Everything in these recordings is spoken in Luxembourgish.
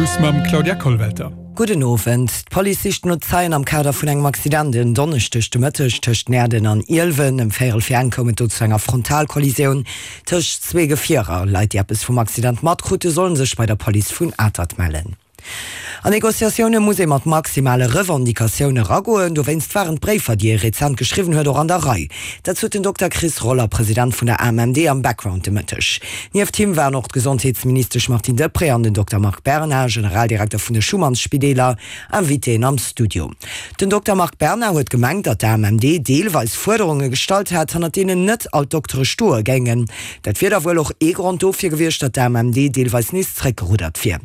News mam Claudia Kollwelter. Gudden Owend. D'Police sicht no Zeien am Kader vun engem Accident en Donneschdeg de Mëtteg tëscht Näerden an Ielwen. Ëm véierel fir eng koum et do zu enger Frontalkollisioun tëscht zwee Gefierer. Leit, déi eppes vum Accident matkrute, sollen sech bei der Police vun Atert mellen. An Negociatioune muss ee mat maximale Revendicatioune eragoen. Dowéinst waren d'Bréifer, déi ee rezent geschriwwen huet, och an der Rei. Dat sot den Dokter Chris Roller, President vun der AMMD, am Background de Mëtteg. Nieft him waren och d'Gesondheetsministesch Martine Deprez an den Dokter Marc Berna, Generaldirekter vun de Schumansspideeler, Invitéen am Studio. Den Dokter Marc Berna huet gemengt, datt d'AMMD deelweis Fuerderunge gestallt hätt, hannert deenen net all d'Doktere stoe géingen. Dat wier da wuel och ee Grond dofir gewiescht, datt d'AMMD deelweis nees zréckgeruddert wier.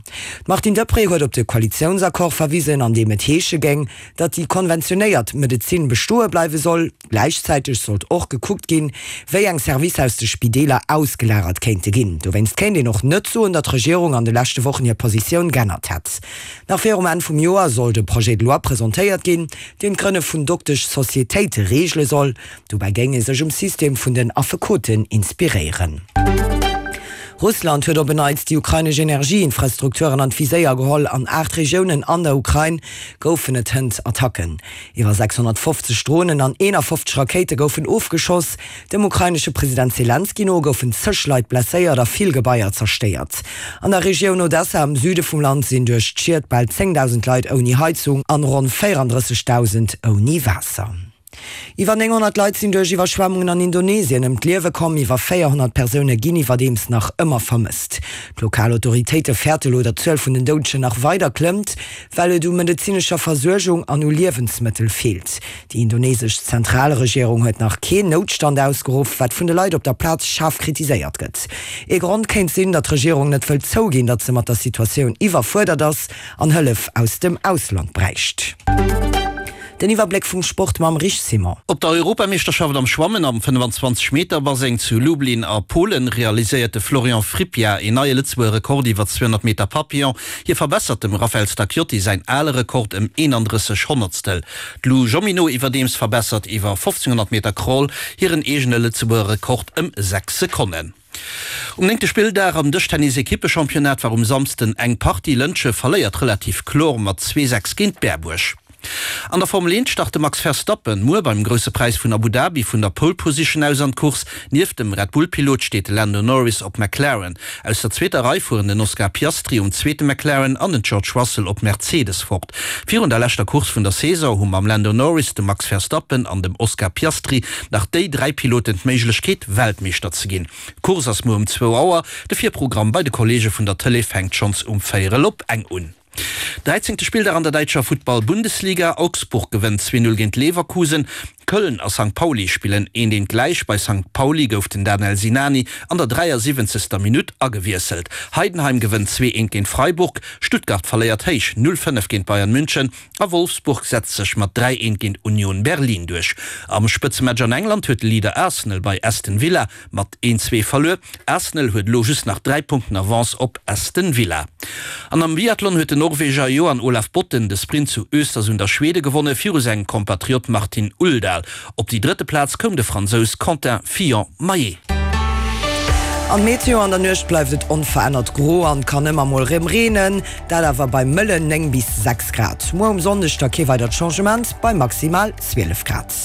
D'Martine Deprez huet op de Koalitiounsaccord verwisen, an deem et heesche géing, datt déi konventionéiert Medezin bestoe bleiwe soll. Gläichzäiteg sollt och gekuckt ginn, wéi eng Servicer aus de Spideeler ausgelagert kéinte ginn. Dowéinst kéint een och net soen, datt d'Regierung an de leschte Wochen hir Positioun g'ännert hätt. Nach virum Enn vum Joer soll de Projet de loi presentéiert ginn, deen d'Grënne vun Doktesch-Societéite reegele soll. Dobäi géing ee sech um System vun den Affekoten inspiréieren. Russland huet op en Neits déi ukrainesch Energieinfrastrukturen an d'Viséier geholl. An 8 Regiounen an der Ukrain goufen et hënt Attacken. Iwwer 650 Dronen an 51 Rakéite goufen ofgeschoss. Dem ukrainesche President Selenskyj no goufen zeg Leit blesséiert a vill Gebaier zerstéiert. An der Regioun Odessa am Süde vum Land sinn duerch d'Schied bal 10.000 Leit ouni Heizung an ronn 34.000 ouni Waasser. Iwwer 900 Leit sinn duerch Iwwerschwemmungen an Indonesien ëm d'Liewe komm. Iwwer 400 Persoune ginn iwwerdeems nach ëmmer vermësst. D'lokal Autoritéite fäerte lo, datt d'Zuel vun den Doudegen nach weider klëmmt, well et u medezinescher Versuergung an u Liewensmëttel feelt. Déi indonesesch Zentralregierung huet nach keen Noutstand ausgeruff, wat vun de Leit op der Plaz schaarf kritiséiert gëtt. Ee Grond kéint sinn, datt d'Regierung net wëllt zouginn, datt se mat der Situatioun iwwerfuerdert ass an Hëllef aus dem Ausland bräicht. Den Iwwerbléck vum Sport mam Rich Simon. Op der Europameeschterschaft am Schwammen am 25 Meter Baseng zu Lublin a Polen realiséiert de Florian Frippiat een neie Lëtzebuerger Rekord iwwer 200 Meter Papillon. Hie verbessert dem Raphael Stacchiotti säin ale Rekord ëm 31 Honnertstel. D'Lou Jeanmonnot iwwerdeems verbessert iwwer 1500 Meter Crawl hiren eegene Lëtzebuerger Rekord ëm 6 Sekonnen. Um néngte Spilldag am Dëschtennis-Ekippechampionnat war um Samsden eng Partie. Lëntge verléiert relativ kloer mat 2, 6 géint Berbuerg. An der Formel 1 start de Max Verstappen muer beim Grousse Präis vun Abu Dhabi vun der Pole Position aus an d'Course. Nieft dem Red Bull-Pilot steet de Lando Norris op McLaren. Aus der zweeter Rei fueren den Oscar Piastri um zweete McLaren an den George Russell op Mercedes fort. Virun der leschter Course vun der Saison hu mam Lando Norris, dem Max Verstappen an dem Oscar Piastri nach déi 3 Piloten d'Méiglechkeet, Weltmeeschter ze ginn. D'Course ass muer um zwou Auer. De Virprogramm bei de Kolleege vun der Tëlee fänkt schonns um véierel op eng un. Dräizéngte Spilldag an der däitscher Futtball-Bundesliga, Augsburg gewënnt 2, 0 géint Leverkusen. Köln a Sankt Pauli spillen eent eent gläich. Bei Sankt Pauli gouf den Danel Sinani an der 73. Minutt agewiesselt. Heidenheim gewënnt 2, 1 géint Freiburg. Stuttgart verléiert héich 0, 5 géint Bayern München a Wolfsburg setzt sech mat 3, 1 géint Union Berlin duerch. Am Spëtzematch an England huet de Leader Arsenal bei Aston Villa mat 1, 2 verluer. Arsenal huet elo just nach 3 Punkten Avance op Aston Villa. An am Biathlon huet den Norweger Johan Olav Botten de Sprint zu Östersund a Schwede gewonne viru sengem Kompatriot Martin Uldal. Op déi drëtte Plaz koum de Fransous Quentin Fillon-Maillet. An d'Meteo, An der Nuecht bleift et onverännert gro an kann ëmmer mol rem reenen, dat awer bei mëllen 9 bis 6 Grad. Muer um Sonndeg da kee weidert Changement bei maximal 12 Grad.